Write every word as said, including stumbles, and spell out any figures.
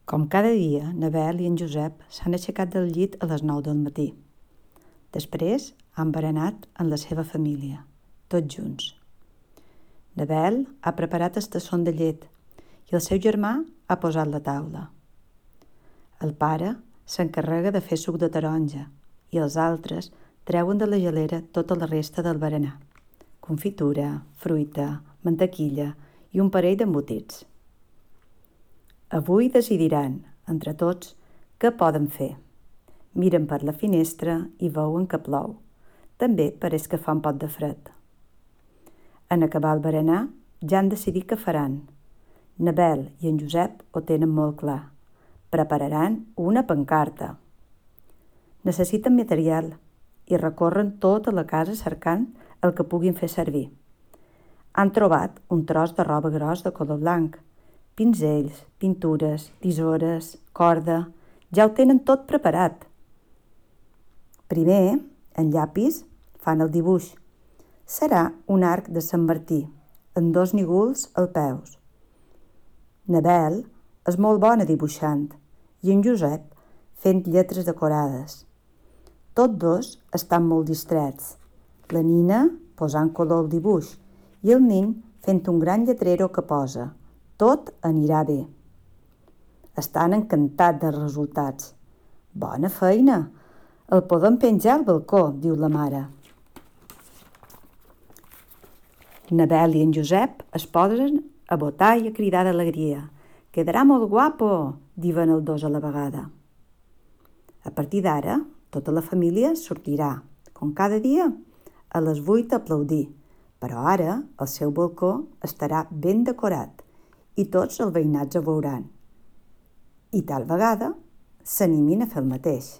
Com cada dia, Nabel i en Josep s'han aixecat del llit a les nou del matí. Després han berenat amb la seva família, tots junts. Nabel ha preparat el tassón de llet i el seu germà ha posat la taula. El pare s'encarrega de fer suc de taronja i els altres treuen de la gelera tota la resta del berenar: confitura, fruita, mantequilla i un parell d'embotits. Avui decidiran, entre tots, què poden fer. Miren per la finestra i veuen que plou. També pareix que fa un pot de fred. En acabar el berenar, ja han decidit què faran. Nabel i en Josep ho tenen molt clar. Prepararan una pancarta. Necessiten material i recorren tota la casa cercant el que puguin fer servir. Han trobat un tros de roba gros de color blanc, pinzells, pintures, tisores, corda. Ja ho tenen tot preparat. Primer, en llapis, fan el dibuix. Serà un arc de Sant Martí, amb dos nígols als peus. Nabel és molt bona dibuixant i en Josep fent lletres decorades. Tots dos estan molt distrets. La Nina posant color al dibuix i el nin fent un gran lletrero que posa: tot anirà bé. Estan encantats dels resultats. Bona feina! El podem penjar al balcó, diu la mare. Nabel i en Josep es posen a botar i a cridar d'alegria. Quedarà molt guapo, diuen els dos a la vegada. A partir d'ara, tota la família sortirà, com cada dia, a les vuit a aplaudir, però ara el seu balcó estarà ben decorat i tots els veïnats ho veuran. I tal vegada s'animin a fer el mateix.